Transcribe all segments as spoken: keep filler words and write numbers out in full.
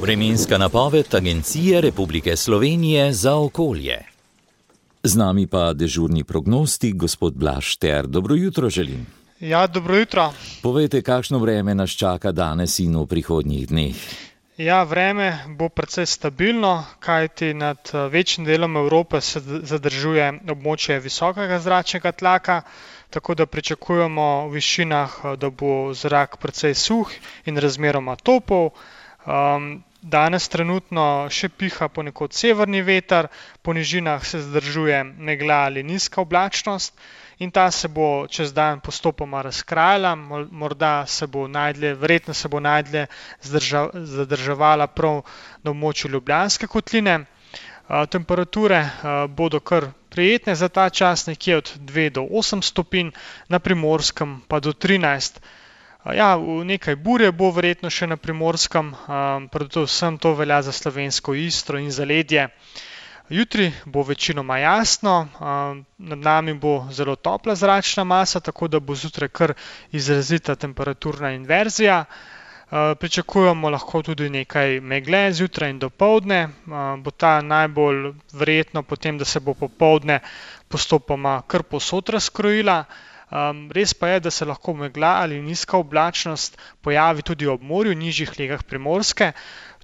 Vremenska napoved Agencije Republike Slovenije za okolje. Z nami pa dežurni prognostik, gospod Blaž Šter. Dobro jutro želim. Ja, dobro jutro. Povejte, kakšno vreme nas čaka danes in v prihodnjih dneh? Ja, vreme bo precej stabilno, kajti nad večjim delom Evrope se zadržuje območje visokega zračnega tlaka, tako da pričakujemo v višinah, da bo zrak precej suh in razmeroma topel. Um, danes trenutno še piha ponekod severni veter, po nižinah se zadržuje megla ali nizka oblačnost in ta se bo čez dan postopoma razkrajala, morda se bo najdlje, verjetno se bo najdlje zadrževala prav na območju Ljubljanske kotline. Temperature bodo kar prijetne za ta čas, nekje od dve do osem stopinj, na Primorskem pa do trinajst. Ja, nekaj burje bo verjetno še na Primorskem, predvsem to velja za slovensko Istro in zaledje. Jutri bo večinoma jasno, nad nami bo zelo topla zračna masa, tako da bo zjutraj kar izrazita temperaturna inverzija. Pričakujemo lahko tudi nekaj megle zjutraj in dopoldne, bo ta najbolj verjetno potem, da se bo popoldne postopoma kar povsod razkrojila. Res pa je, da se lahko megla ali nizka oblačnost pojavi tudi ob morju, nižjih legah Primorske.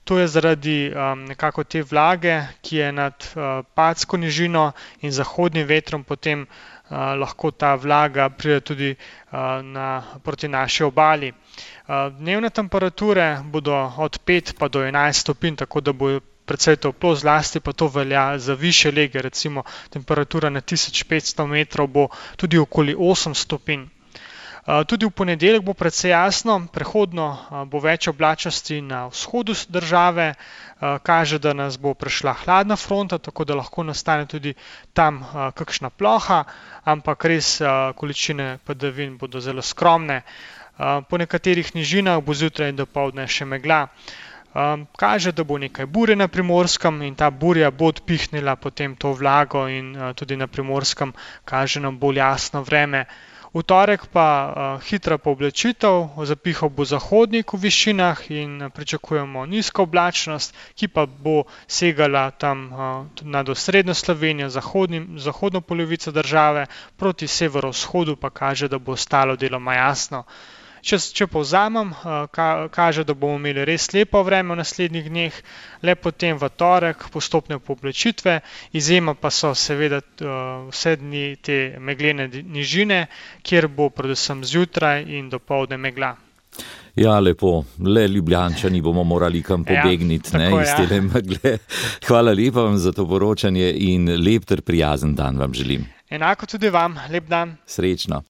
To je zaradi um, nekako te vlage, ki je nad uh, Patsko nižino in zahodnim vetrom, potem uh, lahko ta vlaga pride tudi uh, na, proti naši obali. Uh, dnevne temperature bodo od pet pa do enajst stopinj, tako da bo precej toplo, zlasti pa to velja za višje lege, recimo temperatura na tisoč petsto metrov bo tudi okoli osem stopinj. Tudi v ponedeljek bo precej jasno, prehodno bo več oblačnosti na vzhodu države, kaže, da nas bo prešla hladna fronta, tako da lahko nastane tudi tam kakšna ploha, ampak res količine padavin bodo zelo skromne. Po nekaterih nižinah bo zjutraj in dopoldne še megla. Kaže, da bo nekaj burje na Primorskem in ta burja bo odpihnila potem to vlago in tudi na Primorskem kaže nam bolj jasno vreme. V torek pa uh, hitra pooblačitev, zapihal bo zahodnik v višinah in pričakujemo nizko oblačnost, ki pa bo segala tam uh, nad osrednjo Slovenijo, zahodnim, zahodno polovico države, proti severovzhodu pa kaže, da bo ostalo deloma jasno. Če, če povzamem, ka, kaže, da bomo imeli res lepo vreme v naslednjih dneh, le potem v torek postopne pooblačitve, izjema pa so seveda vse dni te meglene nižine, kjer bo predvsem zjutraj in dopoldne megla. Ja, lepo, le Ljubljančani bomo morali kam pobegniti, ja, ne, iz tele megle. Hvala lepa vam za to poročanje in lep ter prijazen dan vam želim. Enako tudi vam, lep dan. Srečno.